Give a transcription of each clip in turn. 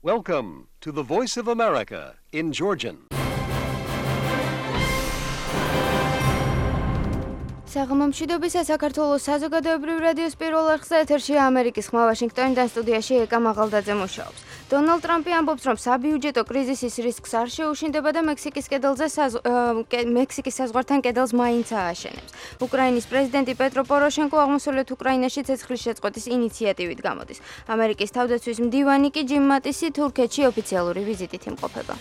Welcome to the Voice of America in Georgian. საღამომშვიდობისა საქართველოს საზოგადოებრივ რადიოს პირველ არხზე ეთერშია ამერიკის ხმა ვაშინგტონიდან სტუდიაში ეკა მაღალდაძე მუშაობს. დონალდ ტრამპი ამბობს, რომ საბიუჯეტო კრიზისის რისკს არ შეუშინდება და მექსიკის საზღვართან კედელს მაინც ააშენებს. უკრაინის პრეზიდენტი პეტრო პოროშენკო აღმოსავლეთ უკრაინაში ცეცხლის შეწყვეტის ინიციატივით გამოდის. ამერიკის თავდაცვის მდივანი კი ჯიმ მატისი თურქეთში ოფიციალური ვიზიტით იმყოფება.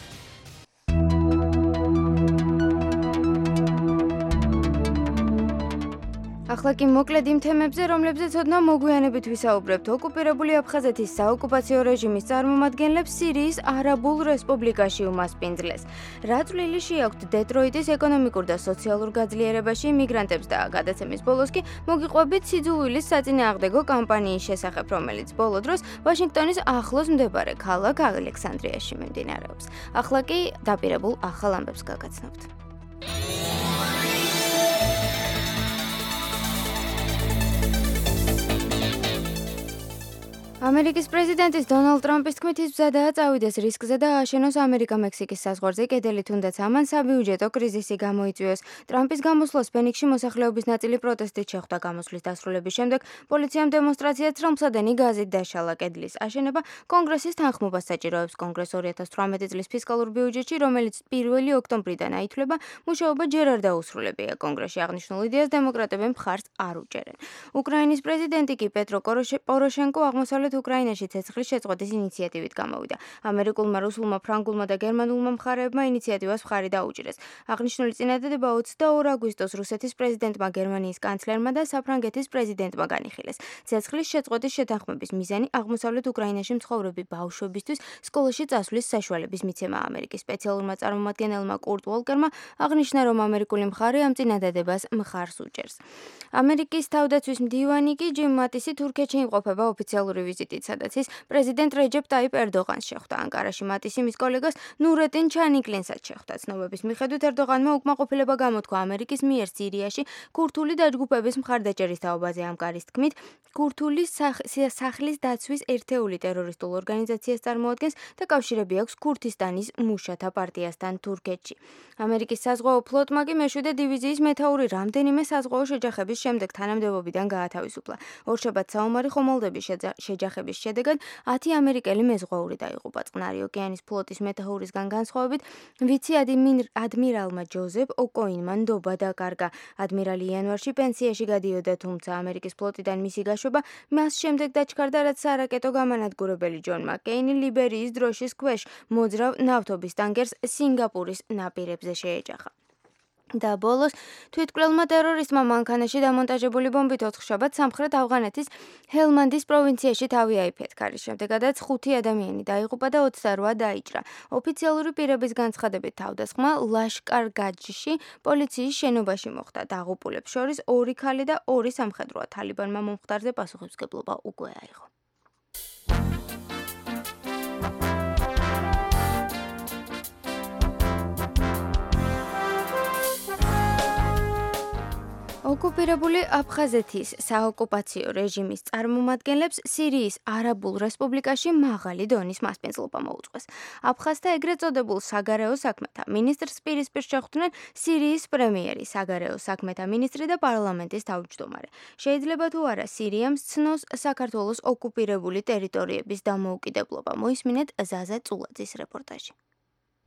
ახლა კი მოკლედ იმ თემებზე, რომლებზეც ოდნავ მოგვიანებით ვისაუბრებთ. ოკუპირებული აფხაზეთის საოკუპაციო რეჟიმის წარმომადგენლებს სირიის არაბულ რესპუბლიკაში უმასპინძლეს. რა წვლილი შეაქვთ დეტროიტის ეკონომიკურ და სოციალურ გაძლიერებაში იმიგრანტებს და გადაცემის ბოლოს კი მოგიყვებით სიძულვილის საწინააღმდეგო კამპანიის შესახებ, რომელიც ბოლო დროს ვაშინგტონის ახლოს მდებარე ქალაქ ალექსანდრიაში მიმდინარეობს. ახლა კი დაპირებულ ახალ ამბებს გაგაცნობთ. ამერიკის პრეზიდენტის დონალდ ტრამპის თქმით ის მზადაა წავიდეს რისკზე და ააშენოს ამერიკა-მექსიკის საზღვარზე კედელი, თუნდაც ამან საბიუჯეტო კრიზისი გამოიწვიოს. ტრამპის გამოსვლას ფენიქსში მოსახლეობის ნაწილი პროტესტით შეხვდა. გამოსვლის დასრულების შემდეგ პოლიციამ დემონსტრაციას ცრომსადენი გაზით დაშალა. კედლის აშენება კონგრესის თანხმობას საჭიროებს. კონგრესს 2018 წლის ფისკალურ ბიუჯეტში, რომელიც 1 ოქტომბრიდან აითვლება, მუშაობა ჯერ არ დაუსრულებია. კონგრესში აღნიშნულ იდეას დემოკრატები მხარს არ უჭერენ. უკრაინის პრეზიდენტი კი პეტრო პოროშენკო აღმოსავლეთ უკრაინაში ცეცხლის შეწყვეტის ინიციატივით გამოვიდა. ამერიკულმა, რუსულმა, ფრანგულმა და გერმანულმა მხარეებმა ინიციატივას მხარი დაუჭირეს. აღნიშნული წინადადება 22 აგვისტოს რუსეთის პრეზიდენტმა, გერმანიის კანცლერმა და საფრანგეთის პრეზიდენტმა განიხილეს. ცეცხლის შეწყვეტის შეთანხმების მიზანი აღმოსავლეთ უკრაინაში მცხოვრები ბავშვებისთვის სკოლაში წასვლის საშუალების მიცემაა. ამერიკის სპეციალურმა წარმომადგენელმა კურტ ვოლკერმა აღნიშნა, რომ ამერიკული მხარე ამ წინადადებას მხარს უჭერს. ამერიკის თავდაცვის მდივანი კი ჯიმ მატისი თურქეთში იმყოფება ოფიციალური ვიზიტით, სადაც ის პრეზიდენტ რეჯეპ ტაიპ ერდოღანს შეხვდა. ანკარაში მატისი მის კოლეგას ნურეტინ ჩანიკლინსაც შეხვდა. ცნობების მიხედვით ერდოღანმა უკმაყოფილება გამოთქვა ამერიკის მიერ სირიაში ქურთული დაჯგუფების მხარდაჭერის თაობაზე. ამ კარის თქმით, ქურთული სახლის დაცვის ერთეული ტერორისტულ ორგანიზაციას წარმოადგენს და კავშირები აქვს ქურთისტანის მუშათა პარტიასთან თურქეთში. ამერიკის საზღვაო ფლოტმა კი მეშვიდე დივიზიის მეთაური რამდენიმე საზღვაო შეჯახების შემდეგ თანამდებობიდან გაათავისუფლა. ორშაბათს საომარი ხომალდების შეჯახების შედეგად 10 ამერიკელი მეზღვაური დაიღუპა. წყნარი ოკეანის ფლოტის მეთაურისგან განსხვავებით, ვიცი ადმირალმა ჯოზეფ ოკოინმა ნდობა დაკარგა. ადმირალი იანვარში პენსიაში გადიოდა, თუმცა ამერიკის ფლოტიდან მისი გაშვება მას შემდეგ დაჩქარდა, რაც სარაკეტო გამანადგურებელი ჯონ მაკეინი ლიბერიის დროშის ქვეშ მოძრავ ნავთობის ტანკერს სინგაპურის ნაპირებზე შეეჯახა. და ბოლოს თვითკვლელმა ტერორისტმა მანქანაში დამონტაჟებული ბომბით ოთხშაბათს სამხრეთ ავღანეთის ჰელმანდის პროვინციაში თავი აიფეთქა. შემდეგადაც 5 ადამიანი დაიღუპა და 28 დაიჭრა. ოფიციალური პირების განცხადებით თავდასხმა ლაშკარ-გაჯში პოლიციის შენობაში მოხდა. დაღუპულებს შორის 2 ქალი და 2 სამხედროა. თალიბანმა მომხდარზე პასუხისმგებლობა უკვე აიღო. ოკუპირებული აფხაზეთის საოკუპაციო რეჟიმის წარმომადგენლებს სირიის არაბულ რესპუბლიკაში მაღალი დონის მასპინძლობა მოუწყვეს. აფხაზთა ეგრეთ წოდებულ საგარეო საქმეთა მინისტრს პირისპირ შეხვდნენ სირიის პრემიერი, საგარეო საქმეთა მინისტრი და პარლამენტის თავმჯდომარე. შეიძლება თუ არა სირიამ სცნოს საქართველოს ოკუპირებული ტერიტორიების დამოუკიდებლობა. მოისმინეთ ზაზა წულაძის რეპორტაჟი.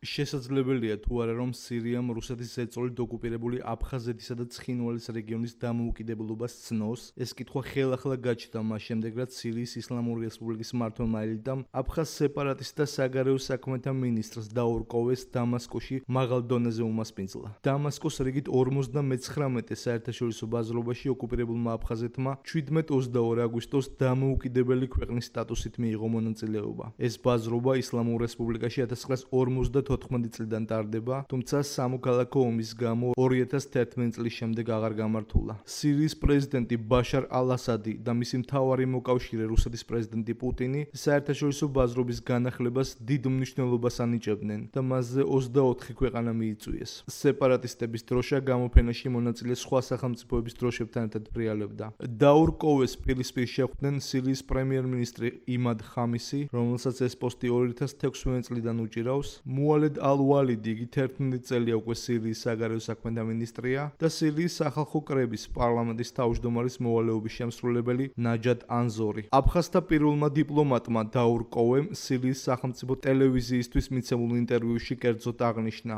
შესაძლებელია თუ არა რომ სირიამ რუსეთის ზეწოლით ოკუპირებული აფხაზეთისა და ცხინვალის რეგიონის დამოუკიდებლობას სცნოს. ეს კითხვა ხელახლა გაჩნდა მას შემდეგ, რაც სირიის ისლამური რესპუბლიკის მმართველმა ელიტამ აფხაზ სეპარატისტთა საგარეო საქმეთა მინისტრს დაურკოვეს დამასკოში მაღალ დონეზე უმასპინძლა. დამასკოს რიგით 59 საერთაშორისო ბაზრობაში ოკუპირებულმა აფხაზეთმა 17-22 აგვისტოს დამოუკიდებელი ქვეყნის სტატუსით მიიღო მონაწილეობა. ეს ბაზრობა ისლამურ რესპუბლიკაში 1952 1914 წლიდან ტარდება, თუმცა სამოქალაქო ომის გამო 2011 წლის შემდეგ აღარ გამართულა. სირიის პრეზიდენტი ბაშარ ალ-ასადი და მისი მთავარი მოკავშირე რუსეთის პრეზიდენტი პუტინი საერთაშორისო ბაზრობის განახლებას დიდ მნიშვნელობას ანიჭებდნენ და მასზე 24 ქვეყანა მიიწვიეს. სეპარატისტების დროშა გამოფენაში მონაწილე სხვა სახელმწიფოების დროშებთან ერთად ფრიალებდა. დაურ კოვეს პირისპირ შეხვდნენ სირიის პრემიერ-მინისტრი იმად ხამისი, რომელსაც ეს პოსტი 2016 წლიდან უჭირავს, მუალედ ალ-ვალიდი, იგი 11 წელია უკვე სირიის საგარეო საქმეთა მინისტრია და სირიის სახალხო კრების პარლამენტის თავმჯდომარის მოვალეობის შემსრულებელი ნაჯად ანზორი. აფხაზთა პირველმა დიპლომატმა დაურ კოვემ სირიის სახელმწიფო ტელევიზიისთვის მიცემულ ინტერვიუში კერძოდ აღნიშნა.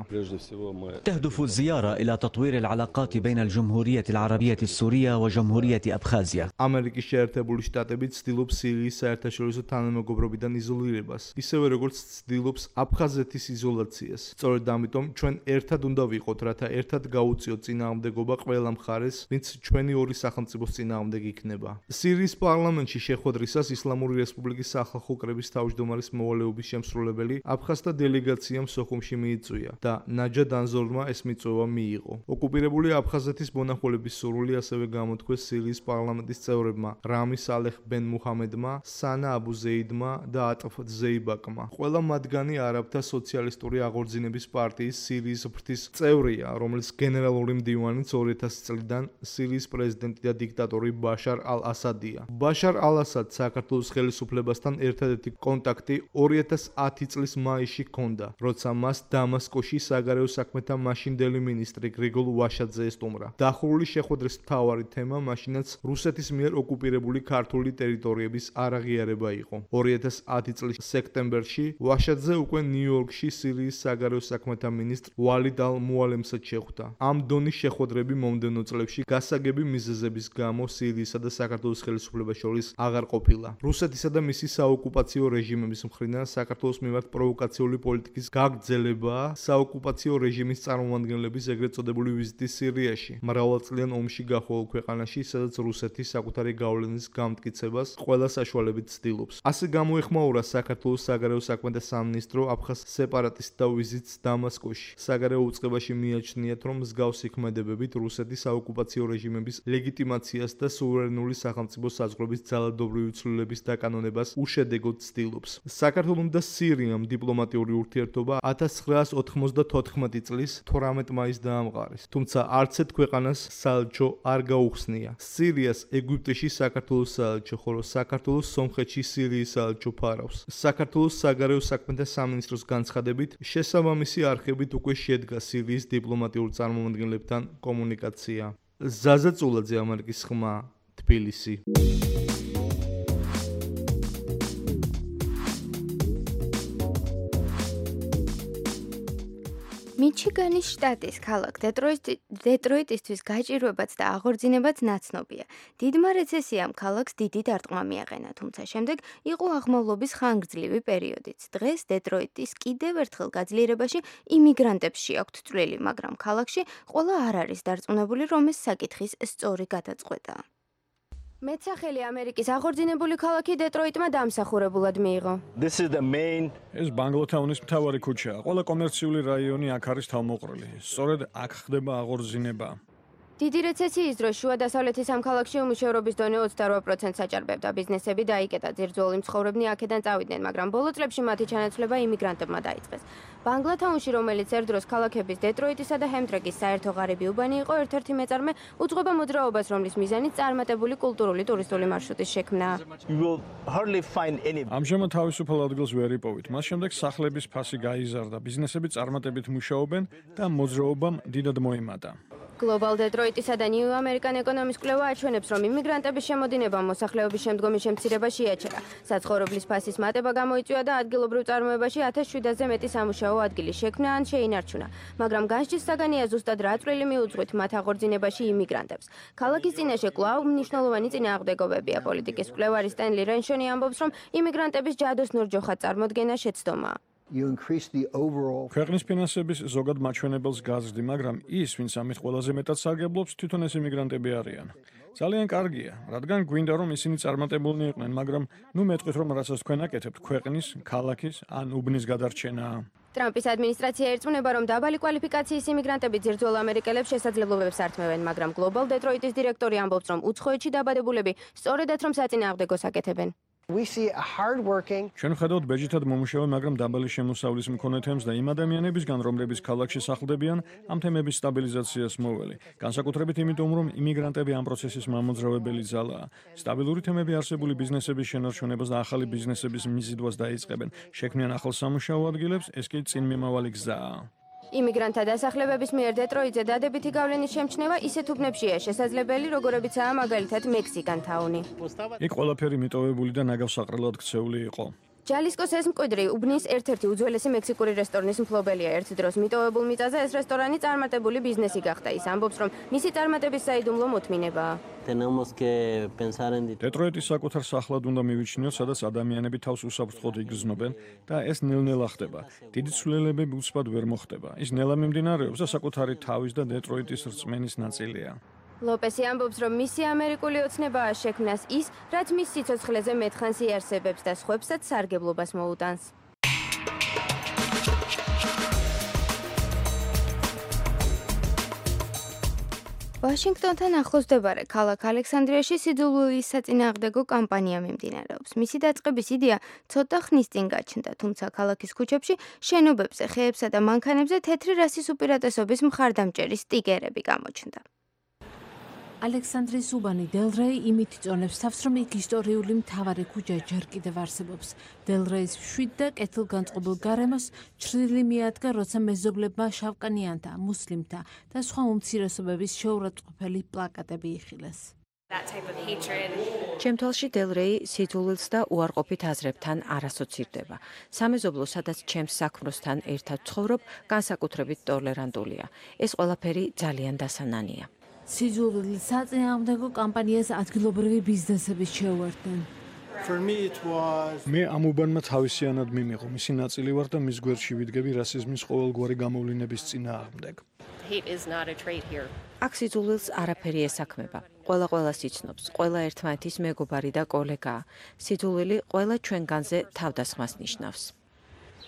تهدف الزيارة إلى تطوير العلاقات بين الجمهورية العربية السورية وجمهورية أبخازيا. ამერიკის შეერთებული შტატები ცდილობს სირიის საერთაშორისო თანამეგობრობიდან იზოლირებას, ისევე როგორც ცდილობს აფხაზეთის იზოლაციას. სწორედ ამიტომ ჩვენ ერთად უნდა ვიყოთ, რათა ერთად გაუწიოთ წინააღმდეგობა ყველა მხარეს, ვინც ჩვენი ორი სახელმწიფოს წინააღმდეგ იქნება. სირიის პარლამენტში შეხვედრისას ისლამური რესპუბლიკის სახალხო კრების თავმჯდომარის მოვალეობის შემსრულებელი აფხაზთა დელეგაციამ სოხუმში მიიწვია და ნაჯად ანზორმა ეს მიწვევა მიიღო. ოკუპირებული აფხაზეთის მონახულების სურვილი ასევე გამოთქვეს სირიის პარლამენტის წევრებმა რამი სალეხ ბენ მუჰამედმა, სანა აბუ ზეიდმა და ატფ ზეიბაკმა. ყველა მათგანი არაბთა სოციალისტური აღორძინების პარტიის სირიის ფრთის წევრია, რომელიც გენერალური მდივანიც 2000 წლიდან სირიის პრეზიდენტი და დიქტატორი ბაშარ ალ-ასადია. ბაშარ ალ-ასადს საქართველოს ხელისუფლებასთან ერთადერთი კონტაქტი 2010 წლის მაისში ჰქონდა, როცა მას დამასკოში საგარეო საქმეთა მაშინდელი მინისტრი გრიგოლ ვაშაძე ესტუმრა. დახურული შეხვედრის მთავარი თემა მაშინაც რუსეთის მიერ ოკუპირებული ქართული ტერიტორიების არაღიარება იყო. 2010 წლის სექტემბერში ვაშაძე უკვე ნიუ-იორკში სირიის საგარეო საქმეთა მინისტრ ვალიდ ალ-მუალემსაც შეხვდა. ამ დონის შეხვედრები მომდევნო წლებში გასაგები მიზეზების გამო სირიისა და საქართველოს ხელისუფლებას შორის აღარ ყოფილა. რუსეთისა და მისი საოკუპაციო რეჟიმების მხრიდან საქართველოს მიმართ პროვოკაციული პოლიტიკის გაგრძელებაა საოკუპაციო რეჟიმის წარმომადგენლების ეგრეთ წოდებული ვიზიტი სირიაში, მრავალწლიან ომში გახვეულ ქვეყანაში, სადაც რუსეთი საკუთარი გავლენის გამტკიცებას ყველა საშუალებით ცდილობს. ასე გამოეხმაურა საქართველოს საგარეო საქმეთა სამინისტრო აფხაზ სეპარატისტთა ვიზიტს დამასკოში. საგარეო უწყებაში მიაჩნიათ, რომ მსგავსი ქმედებებით რუსეთის საოკუპაციო რეჟიმების ლეგიტიმაციას და სუვერენული სახელმწიფო საზღვრების ძალადობრივი ცვლილების დაკანონებას უშედეგოდ ცდილობს. საქართველოს და სირიამ დიპლომატიური ურთიერთობა 1994 წლის 12 მაისს დაამყარეს, თუმცა არც ერთ ქვეყანას საელჩო არ გაუხსნია. სირიას ეგვიპტეში საქართველოს საელჩო, ხოლო საქართველოს სომხეთში სირიის საელჩო ფარავს. საქართველოს საგარეო საქმეთა სამინისტროს განცხადებით, შესაბამისი არხებით უკვე შედგა სირიის დიპლომატიურ წარმომადგენლებთან კომუნიკაცია. ზაზა წულაძე, ამერიკის ხმა, თბილისი. მიჩიგანის შტატის ქალაქ დეტროიტისთვის გაჭირვებაც და აღორძინებაც ნაცნობია. დიდმა რეცესიამ ქალაქს დიდი დარტყმა მიაყენა, თუმცა შემდეგ იყო აღმავლობის ხანგრძლივი პერიოდიც. დღეს დეტროიტის კიდევ ერთხელ გაძლიერებაში იმიგრანტებს შეაქვთ წვლილი, მაგრამ ქალაქში ყველა არ არის დარწმუნებული, რომ ეს საკითხის სწორი გადაწყვეტაა. მეცახელი ამერიკის აღორძინებული ქალაქი დეტროიტმა დამსახურებულად მიიღო. ეს ბანგლოთაუნის მთავარი ქუჩაა. ყველა კომერციული რაიონი აქ არის თავმოყრილი. სწორედ აქ ხდება აღორძინება. დიდი რეცესიის დროს შუა დასავლეთის ამ ქალაქში უმუშევრობის დონე 28%-ს აჭარბებდა. ბიზნესები დაიკეტა, ძირძველი მცხოვრებნი აქედან წავიდნენ, მაგრამ ბოლო წლებში მათი ჩანაცვლება იმიგრანტებმა დაიწყეს. ბანგლოთაუნში, რომელიც ერთ დროს ქალაქების დეტროიტისა და ჰემდრეგის საერთო ღარიბი უბანი იყო, ერთ-ერთი მეწარმე უძღვება მოძრაობას, რომლის მიზანიც წარმატებული კულტურული ტურისტული მარშრუტის შექმნაა. ამჟამად თავისუფალ ადგილს ვერ იპოვით. მას შემდეგ სახლების ფასი გაიზარდა, ბიზნესები წარმატებით მუშაობენ და მოძრაობამ დიდად მოიმატა. Global Detroit-ისა და New American ეკონომის კვლევა აჩვენებს, რომ იმიგრანტების შემოდინება მოსახლეობის შემდგომი შემცირებაში იაჩერა. საცხოვრებლის ფასის მატება გამოიწვია და ადგილობრივ წარმოებაში 1700-ზე მეტი სამუშაო ადგილი შექმნა ან შეინარჩუნა, მაგრამ განსჯის საგანია ზუსტად რა წვლილი მიუძღვით მათ აღორძინებაში იმიგრანტებს. ქალაქის წინაშე კვლავ მნიშვნელოვანი წინააღმდეგობებია. პოლიტიკის მკვლევარი სტენლი რენშონი ამბობს, რომ იმიგრანტების ჯადოსნურ ჯოხად წარმოდგენა შეცდომაა. ქვეყნის ფინანსების ზოგად მაჩვენებელს გაზრდი, მაგრამ ის, ვინც ამით ყველაზე მეტად სარგებლობს, თვითონ ეს იმიგრანტები არიან. ძალიან კარგია, რადგან გვინდა რომ ისინი წარმატებულნი იყვნენ, მაგრამ ნუ მეტყვით რომ რასაც თქვენ აკეთებთ, ქვეყნის, ქალაქის ან უბნის გადარჩენაა. ტრამპის ადმინისტრაცია ერწმუნება, რომ დაბალი კვალიფიკაციის იმიგრანტები ძირძველ ამერიკელებს შესაძლებლობებს ართმევენ, მაგრამ Global Detroit-ის დირექტორი ამბობს, რომ უცხოეთში დაბადებულები სწორედაც რომ საწინააღმდეგოს აკეთებენ. ჩვენ ვხედავთ ბეჯითად მომუშავე, მაგრამ დაბალი შემოსავლის მქონე თემს და იმ ადამიანებისგან, რომლებიც ქალაქში სახლდებიან, ამ თემების სტაბილიზაციას მოველი. განსაკუთრებით იმიტომ, რომ იმიგრანტები ამ პროცესის მამოძრავებელი ძალაა. სტაბილური თემები არსებული ბიზნესების შენარჩუნებას და ახალი ბიზნესების მიზიდვას დაიწყებენ. შექმნიან ახალ სამუშაო ადგილებს, ეს კი წინმიმავალი გზაა. იმიგრანტთა დასახლებების მიერ დეტროიტზე დადებითი გავლენის შემჩნევა ისეთ უბნებშია შესაძლებელი, როგორებიცაა მაგალითად მექსიკან თაუნი. იქ ყველაფერი მიტოვებული და ნაგავსაყრელად ქცეული იყო. ჯალისკოს ეს მკვიდრი უბნის ერთ-ერთი უძველესი მექსიკური რესტორნის მფლობელია. ერთ დროს მიტოვებულ მიწაზე ეს რესტორანი წარმატებული ბიზნესი გახდა. ის ამბობს, რომ მისი წარმატების საიდუმლო მოთმინებაა. დეტროიტის საკუთარ სახლად უნდა მივიჩნიოთ, სადაც ადამიანები თავს უსაფრთხოდ იგრძნობენ და ეს ნელ-ნელა ხდება. დიდი ცვლილებები უცბად ვერ მოხდება. ის ნელა მიმდინარეობს და საკუთარი თავის და დეტროიტის რწმენის ნაწილია. ლოპესი ამბობს, რომ მისი ამერიკული ოცნებაა შექმნას ის, რაც მის სიცოცხლეზე მეთხანს იარსებებს და სხვებსაც სარგებლობას მოუტანს. ვაშინგტონთან ახლოს მდებარე ქალაქ ალექსანდრიაში სიძულვილის საწინააღმდეგო კამპანია მიმდინარეობს. მისი დაწყების იდეა ცოტა ხნის წინ გაჩნდა, თუმცა ქალაქის ქუჩებში, შენობებზე, ხეებსა და მანქანებზე თეთრი რასის უპირატესობის მხარდამჭერი სტიკერები გამოჩნდა. ალექსანდრის უბანი დელრეი იმით იწონებს თავს, რომ იქ ისტორიული მთავარი ქუჩა ჯერ კიდევ არსებობს. დელრეის მშვიდ და კეთილგანწყობილ გარემოს ჩრდილი მიადგა, როცა მეზობლებმა შავკანიანთა, მუსლიმთა და სხვა უმცირესობების შეურაცხყოფელი პლაკატები იხილეს. ჩემ თვალში დელრეი სიძულვილს და უარყოფით აზრებთან არ ასოცირდება. სამეზობლო, სადაც ჩემს საქმროსთან ერთად ცხოვრობ, განსაკუთრებით ტოლერანტულია. ეს ყველაფერი ძალიან დასანანია. სიძულვილის საწინააღმდეგო კამპანიას ადგილობრივი ბიზნესები შეუერთდნენ. მე ამ უბანმა თავისიანად მიმიღო, მისი ნაწილი ვარ და მის გვერდში ვიდგები რასიზმის ყოველგვარი გამოვლინების წინააღმდეგ. აქ სიძულვილს არაფერი ესაქმება. ყველა იცნობს, ყველა ერთმანეთის მეგობარი და კოლეგაა. სიძულვილი ყველა ჩვენგანზე თავდასხმას ნიშნავს.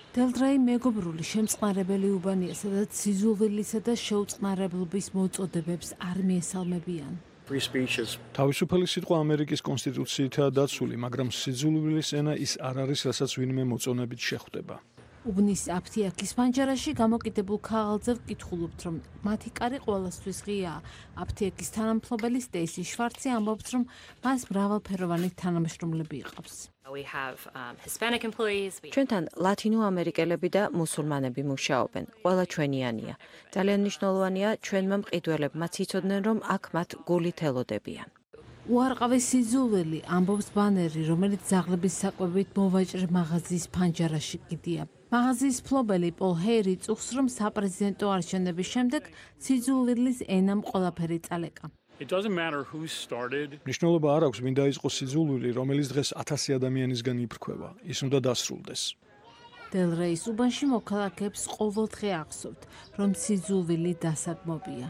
დელრეი მეგობრული შემწყნარებელი უბანია, სადაც სიძულვილისა და შეუწყნარებლობის მოწოდებებს არ მიესალმებიან. თავისუფალი სიტყვა ამერიკის კონსტიტუციითაა დაცული, მაგრამ სიძულვილის ენა ის არ არის, რასაც ვინმე მოწონებით შეხვდება. უბნის აფთიაქის პანჯარაში გამოკიდებულ ქაღალდზე ვკითხულობთ, რომ მათი კარი ყველასთვის ღიაა. აფთიაქის თანამფლობელი სტეისი შვარცი ამბობს, რომ მას მრავალფეროვანი თანამშრომლები იყავს. ჩვენთან ლათინო ამერიკელები და მუსულმანები მუშაობენ. ყველა ჩვენიანია. ძალიან მნიშვნელოვანია ჩვენმა მყიდველებმაც იცოდნენ, რომ აქ მათ გულით ელოდებიან. უარყავის სიძულვილი ამბობს ბანერი, რომელიც ძაღლების საკვებით მოვაჭრე მაღაზიის ფანჯარაში კიდია. მაღაზიის მფლობელი პოლ ჰეირი წუხს, რომ საპრეზიდენტო არჩევნების შემდეგ სიძულვილის ენამ ყველაფერი წალეკა. მნიშვნელობა არ აქვს, ვინ დაიწყო სიძულვილი, რომელიც დღეს 1000 ადამიანისგან იფრქვევა. ის უნდა დასრულდეს. დელრეის უბანში მოქალაქეებს ყოველდღე ახსოვთ, რომ სიძულვილი დასაგმობია.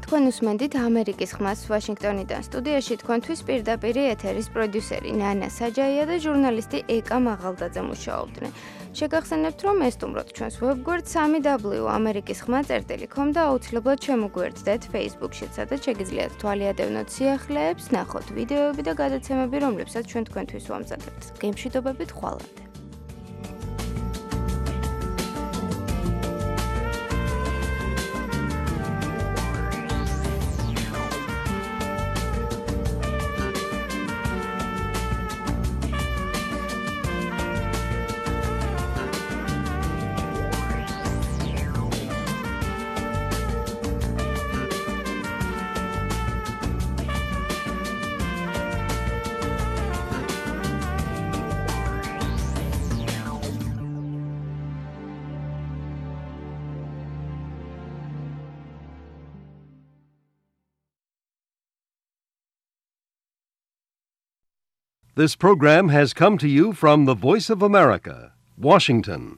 თქვენ უსმენთ ამერიკის ხმას ვაშინგტონიდან. სტუდიაში თქვენთვის პირდაპირ ეთერის პროდიუსერი ნანა საჯაია და ჟურნალისტი ეკა მაღალდაძე მუშაობდნენ. შეგახსენებთ, რომ ესტუმროთ ჩვენს ვებგვერდ 3w.amerikiskhma.com და აუცილებლად შემოგვიერთდეთ Facebook-შიც, სადაც შეგიძლიათ თვალიადევნოთ სიახლეებს, ნახოთ ვიდეოები და გადაცემები, რომლებსაც ჩვენ თქვენთვის ვამზადებთ. გემშვიდობებით ხვალამდე. This program has come to you from the Voice of America, Washington.